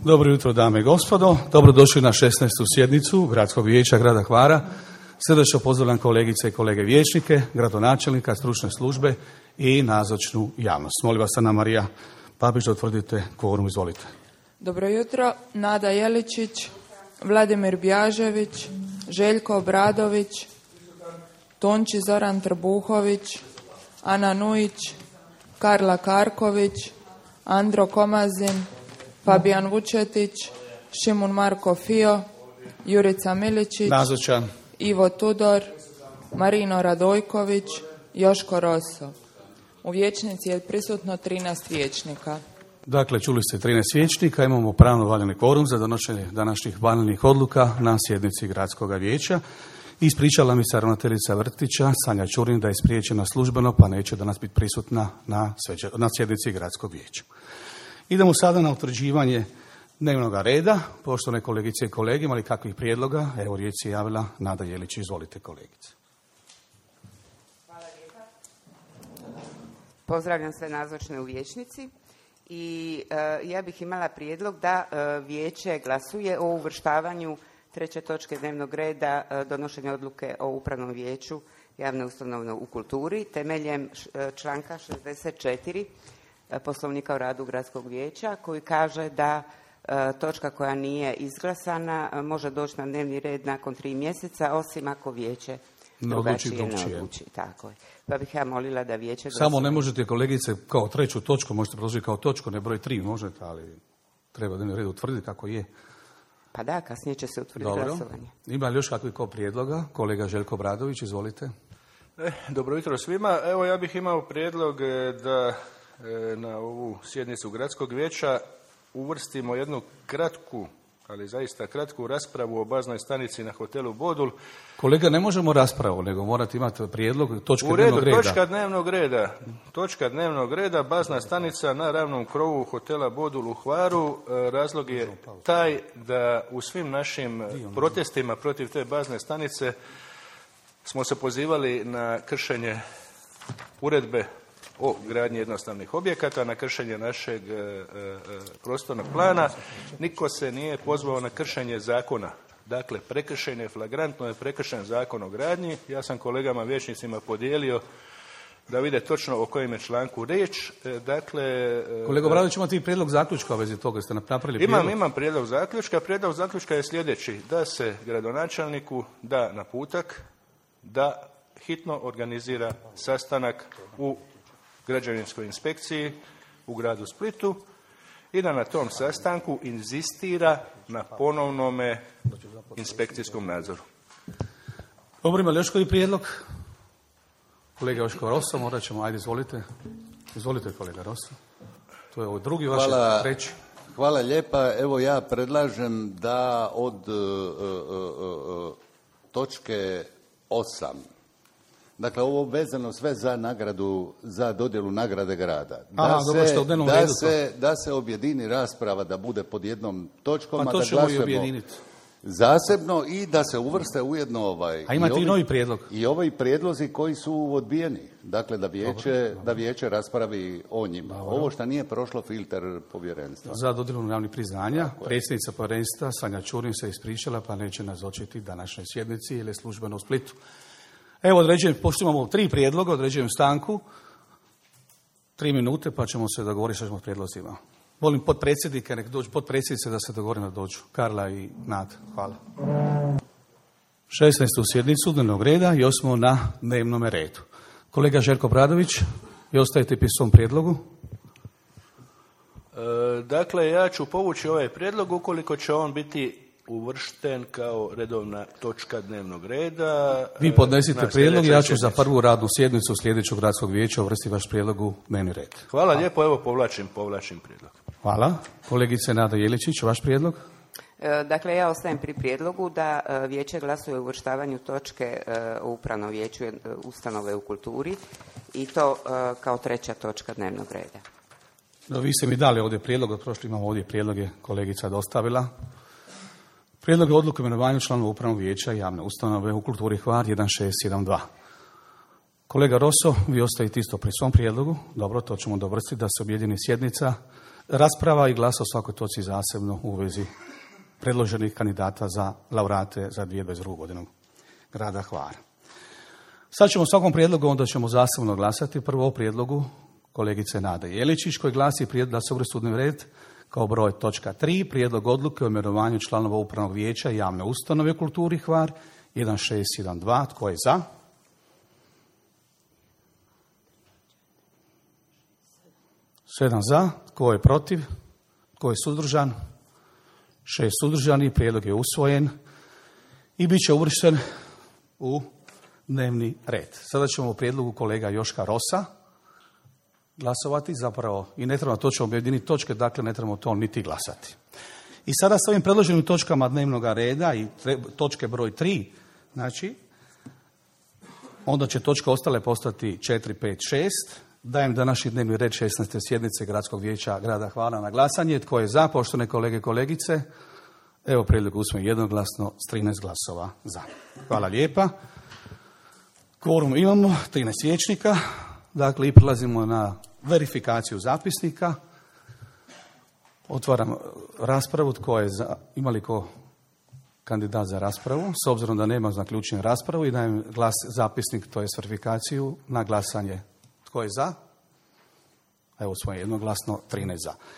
Dobro jutro, dame i gospodo. Dobrodošli na 16. sjednicu Gradskog vijeća grada Hvara. Srdačno pozdravljam kolegice i kolege vijećnike, gradonačelnika, stručne službe i nazočnu javnost. Molim vas, Ana Marija Papić, da utvrdite kvorum, izvolite. Dobro jutro, Nada Jeličić, Vladimir Bjažević, Željko Obradović, Tonči Zoran Trbuhović, Ana Nujić, Karla Karković, Andro Komazin, Fabijan Vučetić, Šimun Marko Fio, Jurica Miličić, Nazočan. Ivo Tudor, Marino Radojković, Joško Roso. U vijećnici je prisutno 13 vijećnika. Dakle, čuli ste 13 vijećnika, imamo pravno valjani kvorum za donošenje današnjih valjanih odluka na sjednici Gradskog vijeća. Ispričala mi se ravnateljica vrtića Sanja Čurin da je spriječena službeno, pa neće danas biti prisutna na sjednici Gradskog vijeća. Idemo sada na utvrđivanje dnevnog reda. Poštovane kolegice i kolege, imali kakvih prijedloga? Evo, riječ je javila Nada Jelić. Izvolite, kolegice. Hvala lijepa. Pozdravljam sve nazočne u vijećnici i ja bih imala prijedlog da vijeće glasuje o uvrštavanju treće točke dnevnog reda donošenja odluke o upravnom vijeću javne ustanove u kulturi temeljem članka 64 Poslovnika o radu Gradskog vijeća koji kaže da točka koja nije izglasana može doći na dnevni red nakon 3 mjeseca, osim ako vijeće drugačije ne odluči. Tako je. Pa bih ja molila da vijeće glasuje. Samo ne možete, kolegice, kao treću točku, možete predložiti kao točku, ne broj 3 možete, ali treba dnevni red utvrditi kako je. Pa da, kasnije će se utvrditi glasovanje. Ima li još kakvih prijedloga? Kolega Željko Obradović, izvolite. Dobro jutro svima. Evo, ja bih imao prijedlog da na ovu sjednicu Gradskog vijeća uvrstimo jednu kratku, ali zaista kratku raspravu o baznoj stanici na hotelu Bodul. Kolega, ne možemo raspravu, nego morate imati prijedlog točke dnevnog reda. Točka dnevnog reda, bazna stanica na ravnom krovu hotela Bodul u Hvaru. Razlog je taj da u svim našim protestima protiv te bazne stanice smo se pozivali na kršenje uredbe o gradnji jednostavnih objekata, na kršenje našeg prostornog plana. Niko se nije pozvao na kršenje zakona. Dakle, prekršen je, flagrantno je prekršen Zakon o gradnji. Ja sam kolegama vijećnicima podijelio da vide točno o kojem je članku riječ. Dakle, kolega Obradović, imate i prijedlog zaključka u vezi toga, ste napravili prijedlog? Imam prijedlog zaključka. Prijedlog zaključka je sljedeći: da se gradonačelniku da naputak da hitno organizira sastanak u građevinskoj inspekciji u gradu Splitu i da na tom sastanku inzistira na ponovnome inspekcijskom nadzoru. Dobro, ima li još koji prijedlog? Kolega Joško Roso, morat ćemo, ajde, izvolite. Izvolite, kolega Roso. To je ovo drugi vaš treći. Hvala lijepa. Evo, ja predlažem da od točke 8, dakle, ovo vezano sve za nagradu, za dodjelu nagrade grada. Da se objedini rasprava, da bude pod jednom točkom, pa to ćemo i objediniti zasebno i da se uvrste ujedno A imate i novi prijedlog? I ovi prijedlozi koji su odbijeni. Dakle, da vijeće raspravi o njima. Dobro. Ovo što nije prošlo filter povjerenstva. Za dodjelu javnih priznanja, predsjednica povjerenstva Sanja Čurin se ispričala, pa neće nazočiti današnjoj sjednici ili službeno u Splitu. Evo, pošto imamo 3 prijedloga, određujem stanku, 3 minute, pa ćemo se dogovoriti što ćemo prijedlozima. Molim potpredsjednika, nek dođu potpredsjednice da se dogovore da dođu. Karla i Nad. Hvala. 16. sjednicu dnevnog reda i smo na dnevnom redu. Kolega Željko Obradović, vi ostajete pri svom prijedlogu? Dakle, ja ću povući ovaj prijedlog ukoliko će on biti uvršten kao redovna točka dnevnog reda. Vi podnesite prijedlog i ja ću za prvu radnu sjednicu sljedećeg gradskog vijeća uvrstiti vaš prijedlog u dnevni red. Hvala lijepo, evo povlačim prijedlog. Hvala. Kolegice Nada Jeličić, vaš prijedlog? Dakle, ja ostajem pri prijedlogu da vijeće glasuje o uvrštavanju točke u upravnom vijeću ustanove u kulturi i to kao treća točka dnevnog reda. No, vi ste mi dali ovdje prijedlog, od prošli imamo ovdje prijedloge, kolegica dostavila. Prijedlog odluke o imenovanju članova upravnog vijeća javne ustanove u kulturi Hvar 1612. Kolega Roso, vi ostajete isto pri svom prijedlogu. Dobro, to ćemo dovrstiti da se objedini sjednica rasprava i glas o svakoj točci zasebno u vezi predloženih kandidata za laureate za 2022. godinu grada Hvara. Sad ćemo svakom prijedlogu, onda ćemo zasebno glasati. Prvo o prijedlogu kolegice Nade Jeličić koji glasi prijedlog da se uvrsti u dnevni red kao broj točka 3, prijedlog odluke o imenovanju članova upravnog vijeća javne ustanove u kulturi Hvar 1612. Tko je za? Sedam za. Tko je protiv? Tko je suzdržan? 6 suzdržanih. Prijedlog je usvojen i bit će uvršten u dnevni red. Sada ćemo u prijedlogu kolega Joška Rosa glasovati, zapravo i ne trebamo točno objediniti točke, dakle ne trebamo to niti glasati. I sada s ovim predloženim točkama dnevnog reda i točke broj 3, znači, onda će točke ostale postati 4, 5, 6. Dajem današnji dnevni red 16. sjednice Gradskog vijeća grada Hvara na glasanje. Tko je za, poštovane kolege i kolegice? Evo prijedlog usvojen jednoglasno s 13 glasova za. Hvala lijepa. Kvorum imamo, 13 vijećnika. Dakle, i prelazimo na verifikaciju zapisnika. Otvaram raspravu. Tko je za? Ima li ko kandidat za raspravu? S obzirom da nema, zaključujem raspravu i dajem glas zapisnik, to je verifikaciju na glasanje. Tko je za? Evo smo jednoglasno 13 za.